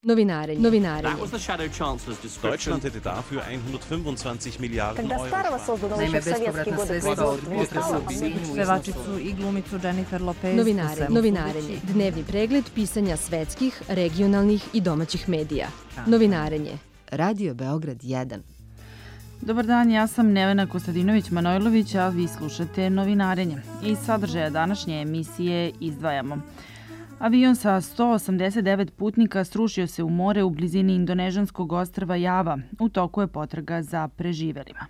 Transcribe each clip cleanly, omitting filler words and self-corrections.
Novinarenje. Deutschland hätte dafür 125 Milijarden Когда старого созданного еще в советские годы производства не стало, Pevačicu i glumicu Jennifer Lopez. Novinarenje. Dnevni pregled pisanja svetskih, regionalnih i domaćih medija. Novinarenje. Radio Beograd 1. Dobar dan, ja sam Nevena Kostadinović-Manojlović, a vi slušate Novinarenje. Iz sadržaja današnje emisije izdvajamo. Avion sa 189 putnika srušio se u more u blizini indonežanskog ostrva Java. U toku je potraga za preživelima.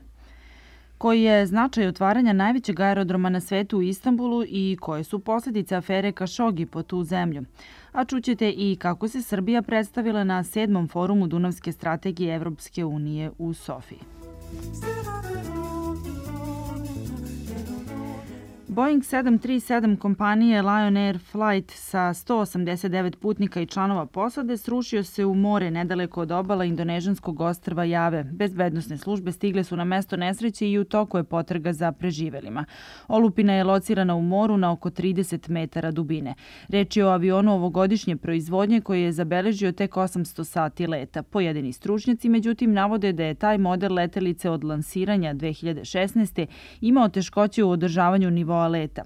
Koji je značaj otvaranja najvećeg aerodroma na svetu u Istanbulu i koje su posljedice afere Kašogi po tu zemlju? A čućete i kako se Srbija predstavila na 7. forumu Dunavske strategije Evropske unije u Sofiji. Boeing 737 kompanije Lion Air Flight sa 189 putnika i članova posade srušio se u more nedaleko od obala indonežanskog ostrva Jave. Bezbednosne službe stigle su na mesto nesreće i u toku je potraga za preživelima. Olupina je locirana u moru na oko 30 metara dubine. Reč je o avionu ovogodišnje proizvodnje koji je zabeležio tek 800 sati leta. Pojedini stručnjaci, međutim, navode da je taj model letelice od lansiranja 2016. imao teškoće u održavanju nivoa leta.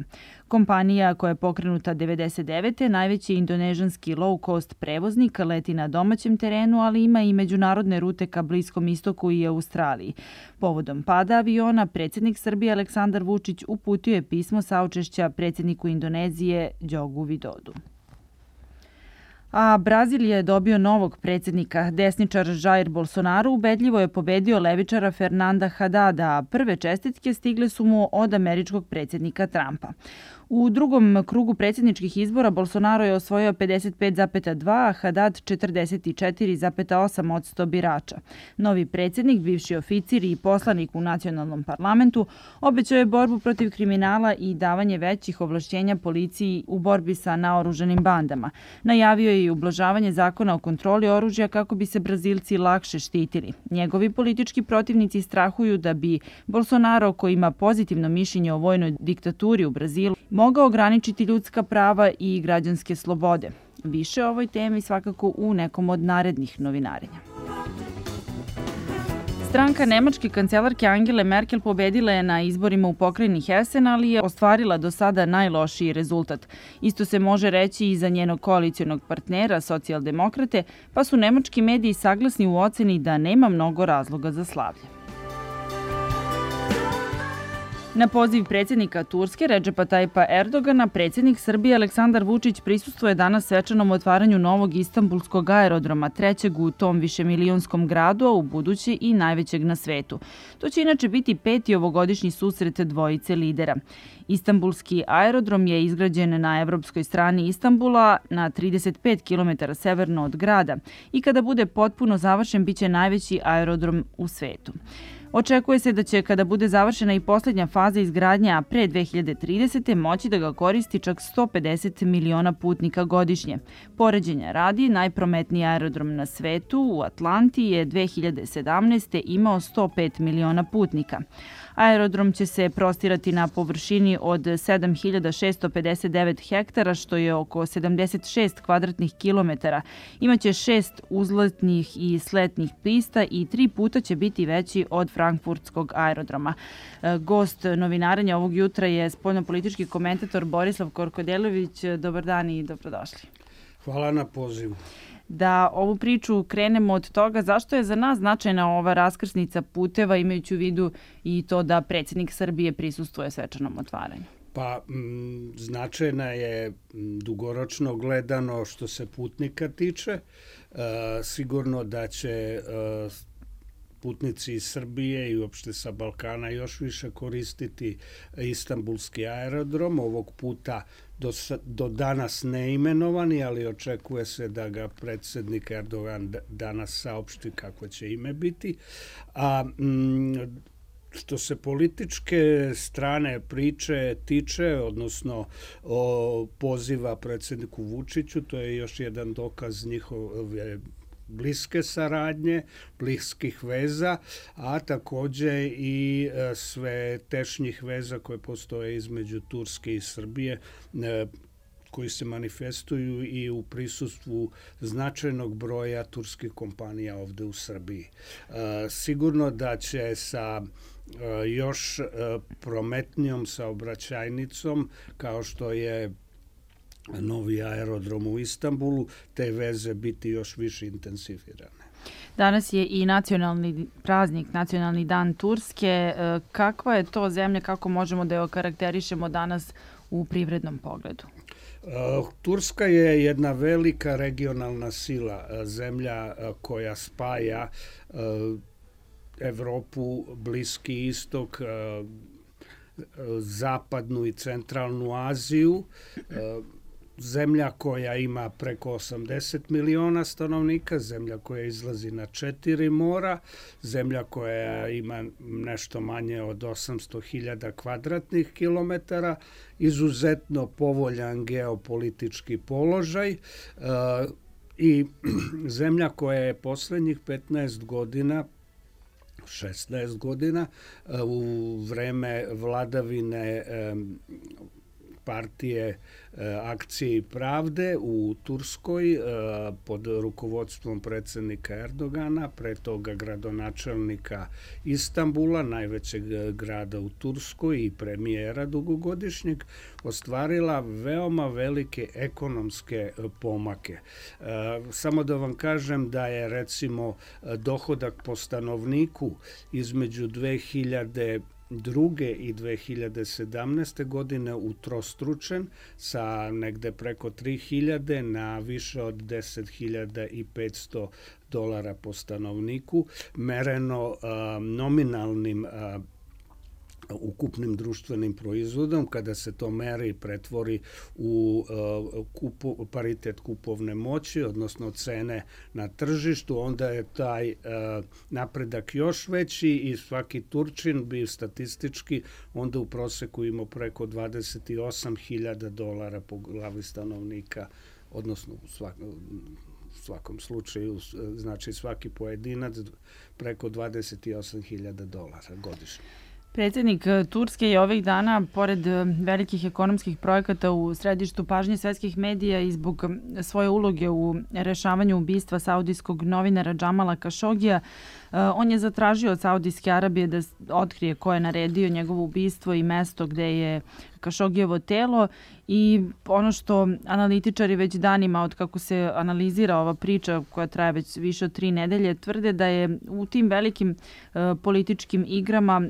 Kompanija koja je pokrenuta 1999. najveći indonežanski low-cost prevoznik, leti na domaćem terenu, ali ima i međunarodne rute ka Bliskom istoku i Australiji. Povodom pada aviona, predsjednik Srbije Aleksandar Vučić uputio je pismo saučešća predsjedniku Indonezije Đogu Vidodu. A Brazil je dobio novog predsjednika. Desničar Jair Bolsonaro ubedljivo je pobedio levičara Fernanda Hadada, a prve čestitke stigle su mu od američkog predsjednika Trumpa. U drugom krugu predsjedničkih izbora Bolsonaro je osvojio 55,2, a Haddad 44,8% birača. Novi predsjednik, bivši oficir i poslanik u nacionalnom parlamentu, obećao je borbu protiv kriminala i davanje većih ovlašćenja policiji u borbi sa naoružanim bandama. Najavio je i ublažavanje zakona o kontroli oružja kako bi se Brazilci lakše štitili. Njegovi politički protivnici strahuju da bi Bolsonaro, koji ima pozitivno mišljenje o vojnoj diktaturi u Brazilu, mogao ograničiti ljudska prava i građanske slobode. Više o ovoj temi svakako u nekom od narednih novinarenja. Stranka nemačke kancelarke Angele Merkel pobedila je na izborima u pokrajini Hessen, ali je ostvarila do sada najlošiji rezultat. Isto se može reći i za njenog koalicionog partnera, socijaldemokrate, pa su nemački mediji saglasni u oceni da nema mnogo razloga za slavlje. Na poziv predsjednika Turske Redžepa Tajipa Erdogana, predsjednik Srbije Aleksandar Vučić prisustvuje danas svečanom otvaranju novog istanbulskog aerodroma, trećeg u tom višemilijonskom gradu, a u buduće i najvećeg na svetu. To će inače biti 5. ovogodišnji susret dvojice lidera. Istanbulski aerodrom je izgrađen na evropskoj strani Istanbula, na 35 km severno od grada i kada bude potpuno završen biće najveći aerodrom u svetu. Očekuje se da će, kada bude završena i posljednja faza izgradnje, a pre 2030. moći da ga koristi čak 150 miliona putnika godišnje. Poređenja radi, najprometniji aerodrom na svetu u Atlanti je 2017. imao 105 miliona putnika. Aerodrom će se prostirati na površini od 7659 hektara, što je oko 76 kvadratnih kilometara. Imaće 6 uzletnih i sletnih pista i 3 puta će biti veći od frankfurtskog aerodroma. Gost novinarenja ovog jutra je spoljnopolitički komentator Borislav Korkodelović. Dobar dan i dobrodošli. Hvala na pozivu. Da ovu priču krenemo od toga zašto je za nas značajna ova raskrsnica puteva, imajući u vidu i to da predsjednik Srbije prisustvuje svečanom otvaranju. Pa značajna je dugoročno gledano što se putnika tiče. Sigurno da će putnici iz Srbije i uopšte sa Balkana još više koristiti istanbulski aerodrom. Ovog puta do danas neimenovani, ali očekuje se da ga predsjednik Erdogan danas saopšti kako će ime biti. A što se političke strane priče tiče, odnosno poziva predsjedniku Vučiću, to je još jedan dokaz njihove bliske saradnje, bliskih veza, a takođe i sve tešnjih veza koje postoje između Turske i Srbije. koji se manifestuju i u prisustvu značajnog broja turskih kompanija ovde u Srbiji. Sigurno da će sa još prometnijom saobraćajnicom, kao što je novi aerodrom u Istanbulu, te veze biti još više intenzivirane. Danas je i nacionalni praznik, nacionalni dan Turske. Kakva je to zemlja, kako možemo da je okarakterišemo danas u privrednom pogledu? Turska je jedna velika regionalna sila, zemlja koja spaja Evropu, Bliski istok, zapadnu i centralnu Aziju, zemlja koja ima preko 80 miliona stanovnika, zemlja koja izlazi na 4 mora, zemlja koja ima nešto manje od 800.000 kvadratnih kilometara, izuzetno povoljan geopolitički položaj i zemlja koja je poslednjih 15 godina 16 godina u vreme vladavine partije Akcije i pravde u Turskoj pod rukovodstvom predsednika Erdogana, pre toga gradonačelnika Istanbula, najvećeg grada u Turskoj i premijera dugogodišnjeg, ostvarila veoma velike ekonomske pomake. Samo da vam kažem da je recimo dohodak po stanovniku između 2002. i 2017. godine utrostručen sa negde preko 3.000 na više od 10.500 dolara po stanovniku, mereno nominalnim ukupnim društvenim proizvodom. Kada se to meri i pretvori u paritet kupovne moći, odnosno cene na tržištu, onda je taj napredak još veći i svaki Turčin bi statistički onda u proseku imao preko 28.000 dolara po glavi stanovnika, odnosno u svakom slučaju, znači svaki pojedinac preko 28.000 dolara godišnje. Predsjednik Turske je ovih dana, pored velikih ekonomskih projekata, u središtu pažnje svetskih medija i zbog svoje uloge u rešavanju ubistva saudijskog novinara Džamala Kašogija. On je zatražio od Saudijske Arabije da otkrije ko je naredio njegovo ubistvo i mesto gde je Kašogijevo telo. I ono što analitičari već danima, od kako se analizira ova priča koja traje već više od 3 nedelje, tvrde da je u tim velikim političkim igrama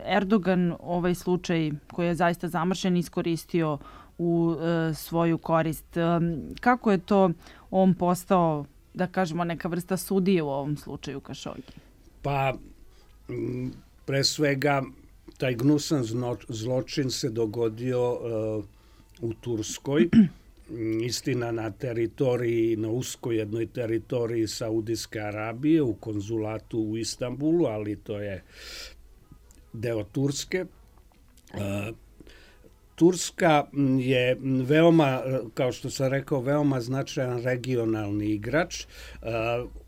Erdogan ovaj slučaj koji je zaista zamršen iskoristio u svoju korist. Kako je to on postao, da kažemo, neka vrsta sudije u ovom slučaju Kašogi? Pa, pre svega, taj gnusan zločin se dogodio u Turskoj, istina na teritoriji, na uskoj jednoj teritoriji Saudijske Arabije, u konzulatu u Istanbulu, ali to je deo Turske. Turska je veoma, kao što sam rekao, veoma značajan regionalni igrač.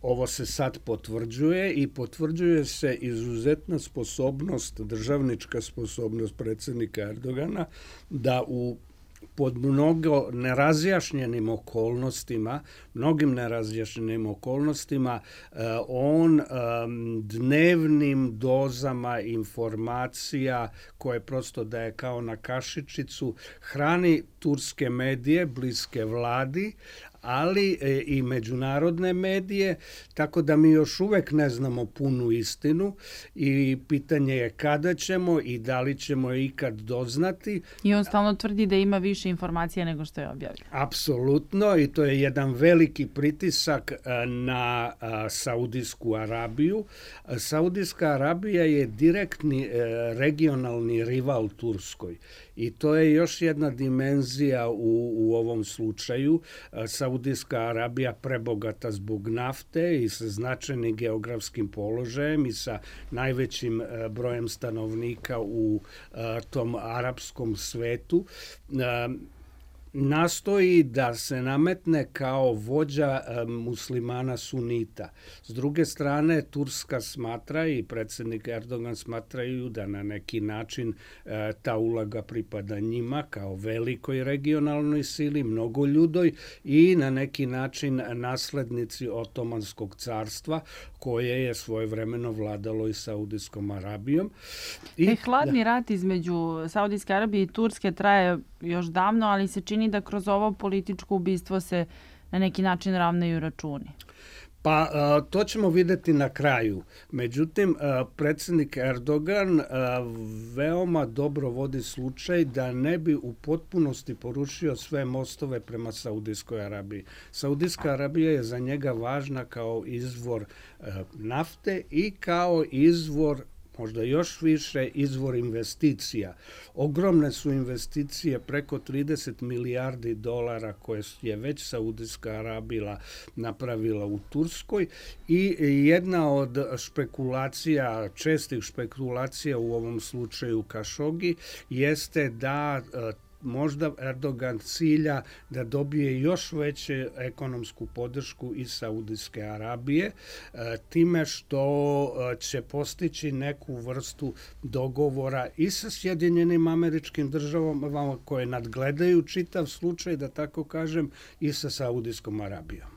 Ovo se sad potvrđuje i potvrđuje se izuzetna sposobnost, državnička sposobnost predsjednika Erdogana da pod mnogo nerazjašnjenim okolnostima, on dnevnim dozama informacija koje prosto daje kao na kašičicu, hrani turske medije, bliske vladi, ali i međunarodne medije, tako da mi još uvek ne znamo punu istinu i pitanje je kada ćemo i da li ćemo je ikad doznati. I on stalno tvrdi da ima više informacija nego što je objavio. Apsolutno, i to je jedan veliki pritisak na Saudijsku Arabiju. Saudijska Arabija je direktni regionalni rival Turskoj. I to je još jedna dimenzija u ovom slučaju. Saudijska Arabija prebogata zbog nafte i sa značajnim geografskim položajem i sa najvećim brojem stanovnika u tom arapskom svetu. nastoji da se nametne kao vođa muslimana sunita. S druge strane, Turska smatra i predsjednik Erdogan smatraju da na neki način ta uloga pripada njima kao velikoj regionalnoj sili, mnogoljudoj i na neki način naslednici Otomanskog carstva koje je svojevremeno vladalo i Saudijskom Arabijom. Hladni rat između Saudijske Arabije i Turske traje još davno, ali se čini da kroz ovo političko ubistvo se na neki način ravnaju računi. Pa to ćemo vidjeti na kraju. Međutim, predsjednik Erdogan veoma dobro vodi slučaj da ne bi u potpunosti porušio sve mostove prema Saudijskoj Arabiji. Saudijska Arabija je za njega važna kao izvor nafte i kao izvor, možda još više, izvor investicija. Ogromne su investicije, preko 30 milijardi dolara koje je već Saudijska Arabija napravila u Turskoj i jedna od špekulacija, čestih špekulacija u ovom slučaju Kašogi, jeste da možda Erdogan cilja da dobije još veću ekonomsku podršku iz Saudijske Arabije, time što će postići neku vrstu dogovora i sa Sjedinjenim Američkim Državama koje nadgledaju čitav slučaj, da tako kažem, i sa Saudijskom Arabijom.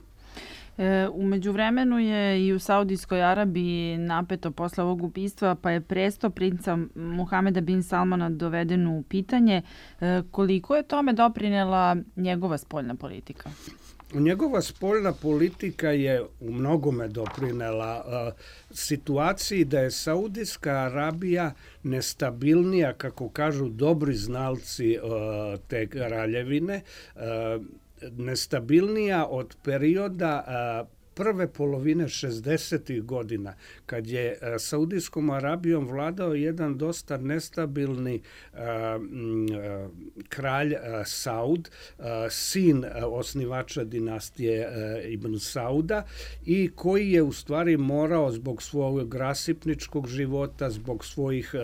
U međuvremenu je i u Saudijskoj Arabiji napeto posle ovog ubistva, pa je presto princa Muhameda bin Salmana doveden u pitanje. Koliko je tome doprinela njegova spoljna politika? Njegova spoljna politika je u mnogome doprinela situaciji da je Saudijska Arabija nestabilnija, kako kažu dobri znalci te kraljevine, nestabilnija od perioda prve polovine 60. godina, kad je Saudijskom Arabijom vladao jedan dosta nestabilni kralj Saud, sin osnivača dinastije Ibn Sauda, i koji je u stvari morao zbog svog rasipničkog života, zbog svojih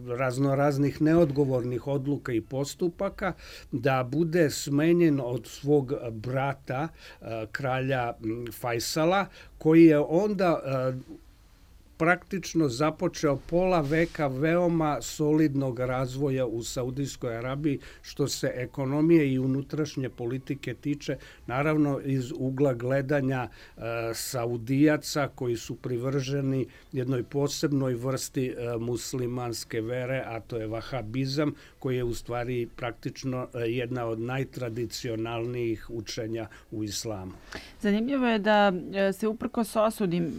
raznoraznih neodgovornih odluka i postupaka, da bude smenjen od svog brata, kralja Fajsala, koji je onda praktično započeo pola veka veoma solidnog razvoja u Saudijskoj Arabiji, što se ekonomije i unutrašnje politike tiče, naravno iz ugla gledanja Saudijaca koji su privrženi jednoj posebnoj vrsti muslimanske vere, a to je vahabizam, koji je u stvari praktično jedna od najtradicionalnijih učenja u islamu. Zanimljivo je da se uprkos osudi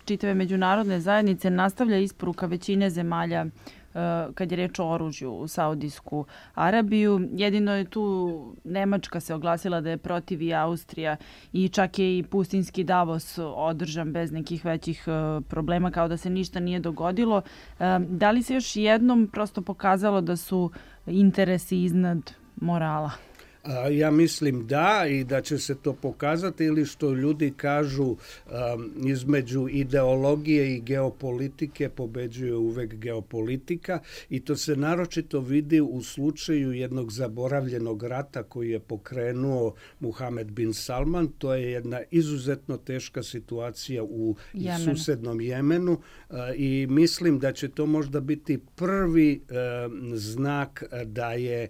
čitave međunarodne zajednice nastavlja isporuka većine zemalja kad je reč o oružju u Saudijsku Arabiju. Jedino je tu Nemačka se oglasila da je protiv, i Austrija, i čak je i pustinski Davos održan bez nekih većih problema, kao da se ništa nije dogodilo. Da li se još jednom prosto pokazalo da su interesi iznad morala? Ja mislim da, i da će se to pokazati, ili što ljudi kažu, između ideologije i geopolitike pobeđuje uvek geopolitika, i to se naročito vidi u slučaju jednog zaboravljenog rata koji je pokrenuo Muhamed bin Salman. To je jedna izuzetno teška situacija u susednom Jemenu, i mislim da će to možda biti prvi znak da je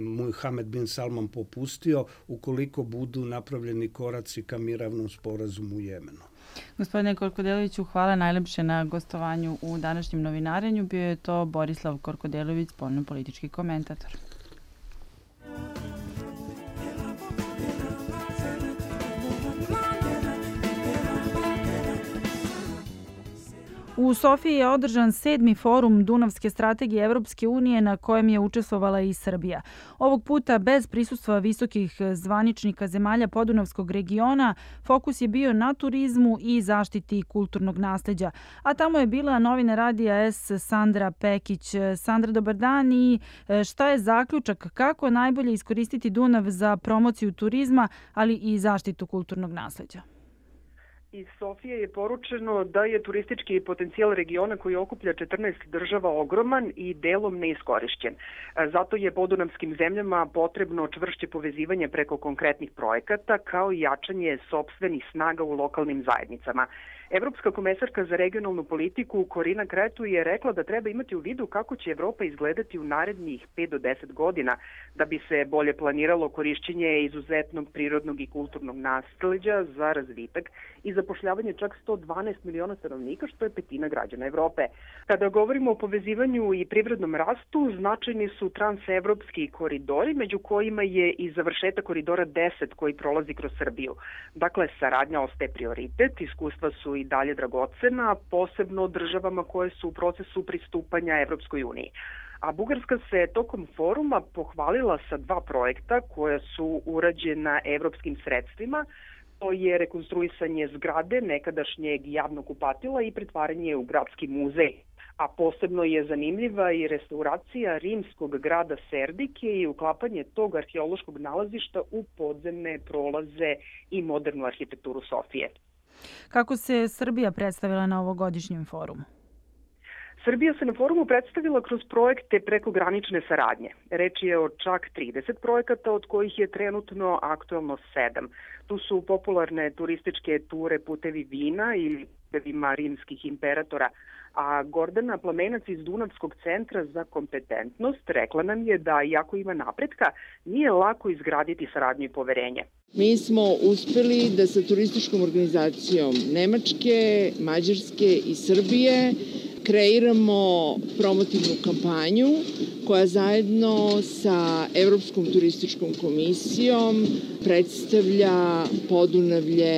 Muhamed bin Salman popustio, ukoliko budu napravljeni koraci ka mirovnom sporazumu u Jemenu. Gospodine Korkodeloviću, hvala najlepše na gostovanju u današnjem novinarenju. Bio je to Borislav Korkodelović, spoljno-politički komentator. U Sofiji je održan 7. forum Dunavske strategije Evropske unije, na kojem je učestvovala i Srbija. Ovog puta bez prisustva visokih zvaničnika zemalja podunavskog regiona, fokus je bio na turizmu i zaštiti kulturnog nasleđa. A tamo je bila novinar Radija S Sandra Pekić. Sandra, dobar dan, i šta je zaključak, kako najbolje iskoristiti Dunav za promociju turizma, ali i zaštitu kulturnog nasleđa? Iz Sofije je poručeno da je turistički potencijal regiona koji okuplja 14 država ogroman i delom neiskorišćen. Zato je podunavskim zemljama potrebno čvršće povezivanje preko konkretnih projekata kao i jačanje sopstvenih snaga u lokalnim zajednicama. Evropska komesarka za regionalnu politiku Korina Kretu je rekla da treba imati u vidu kako će Evropa izgledati u narednih 5 do 10 godina da bi se bolje planiralo korišćenje izuzetnog prirodnog i kulturnog nasleđa za razvitak i zapošljavanje čak 112 miliona stanovnika, što je petina građana Evrope. Kada govorimo o povezivanju i privrednom rastu, značajni su transevropski koridori, među kojima je i završetak koridora 10 koji prolazi kroz Srbiju. Dakle, saradnja ostaje prioritet, iskustva su i dalje dragocena, posebno državama koje su u procesu pristupanja Evropskoj uniji. A Bugarska se tokom foruma pohvalila sa 2 projekta koja su urađena evropskim sredstvima. To je rekonstruisanje zgrade nekadašnjeg javnog kupatila i pretvaranje u gradski muzej. A posebno je zanimljiva i restauracija rimskog grada Serdike i uklapanje tog arheološkog nalazišta u podzemne prolaze i modernu arhitekturu Sofije. Kako se Srbija predstavila na ovogodišnjem forumu? Srbija se na forumu predstavila kroz projekte prekogranične saradnje. Reč je o čak 30 projekata, od kojih je trenutno aktuelno 7. Tu su popularne turističke ture Putevi vina ili putevima rimskih imperatora, a Gordana Plamenac iz Dunavskog centra za kompetentnost rekla nam je da, iako ima napretka, nije lako izgraditi saradnju i poverenje. Mi smo uspeli da sa turističkom organizacijom Nemačke, Mađarske i Srbije kreiramo promotivnu kampanju koja zajedno sa Evropskom turističkom komisijom predstavlja Podunavlje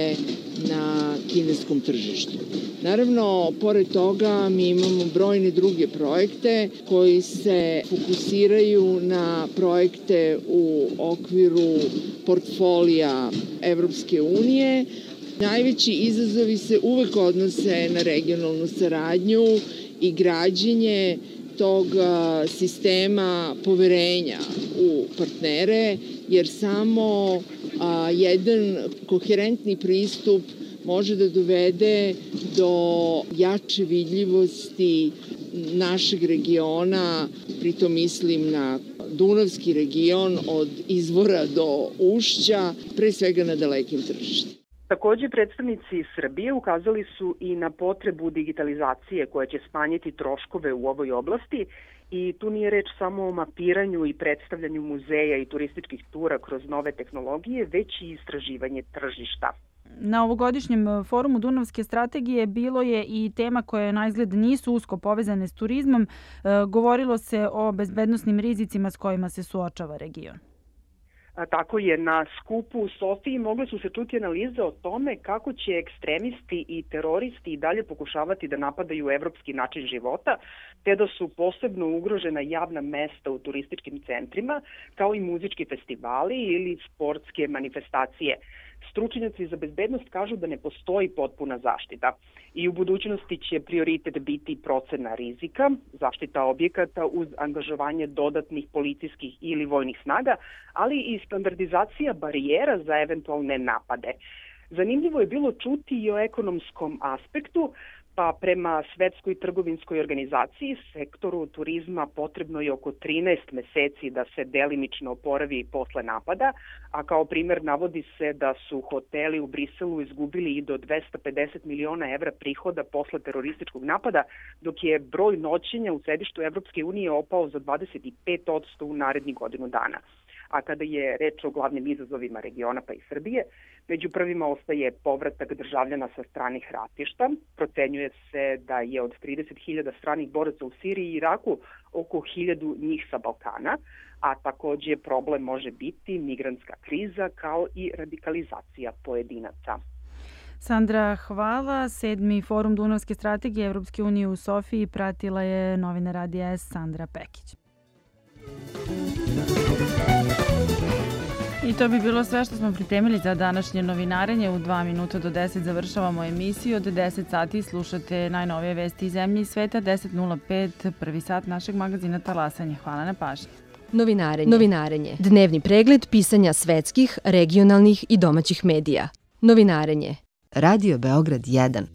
na kineskom tržištu. Naravno, pored toga mi imamo brojne druge projekte koji se fokusiraju na projekte u okviru portfolija Evropske unije. Najveći izazovi se uvek odnose na regionalnu saradnju i građenje tog sistema poverenja u partnere, jer samo jedan koherentni pristup može da dovede do jače vidljivosti našeg regiona, pritom mislim na Dunavski region od izvora do ušća, pre svega na dalekim tržištima. Takođe, predstavnici Srbije ukazali su i na potrebu digitalizacije koja će smanjiti troškove u ovoj oblasti i tu nije reč samo o mapiranju i predstavljanju muzeja i turističkih tura kroz nove tehnologije, već i istraživanje tržišta. Na ovogodišnjem forumu Dunavske strategije bilo je i tema koje na izgled nisu usko povezane s turizmom. Govorilo se o bezbednosnim rizicima s kojima se suočava region. Tako je, na skupu u Sofiji mogle su se čuti analize o tome kako će ekstremisti i teroristi i dalje pokušavati da napadaju evropski način života, te da su posebno ugrožena javna mesta u turističkim centrima, kao i muzički festivali ili sportske manifestacije. Stručnjaci za bezbednost kažu da ne postoji potpuna zaštita i u budućnosti će prioritet biti procena rizika, zaštita objekata uz angažovanje dodatnih policijskih ili vojnih snaga, ali i standardizacija barijera za eventualne napade. Zanimljivo je bilo čuti i o ekonomskom aspektu, pa prema Svetskoj trgovinskoj organizaciji sektoru turizma potrebno je oko 13 meseci da se delimično oporavi posle napada, a kao primer navodi se da su hoteli u Briselu izgubili i do 250 miliona evra prihoda posle terorističkog napada, dok je broj noćenja u sedištu Evropske unije opao za 25% u narednih godinu dana. A kada je reč o glavnim izazovima regiona pa i Srbije, među prvima ostaje povratak državljana sa stranih ratišta. Procenjuje se da je od 30.000 stranih boraca u Siriji i Iraku oko 1.000 njih sa Balkana, a takođe problem može biti migrantska kriza kao i radikalizacija pojedinaca. Sandra, hvala. 7. forum Dunavske strategije Evropske unije u Sofiji pratila je novinar Radija S. Sandra Pekić. I to bi bilo sve što smo pripremili za današnje novinarenje. U 2 minuta do 10 završavamo emisiju. Od 10 sati slušate najnovije vesti iz zemlje i sveta. 10.05, prvi sat našeg magazina Talasanje. Hvala na pažnji. Novinarenje. Dnevni pregled pisanja svetskih, regionalnih i domaćih medija. Novinarenje. Radio Beograd 1.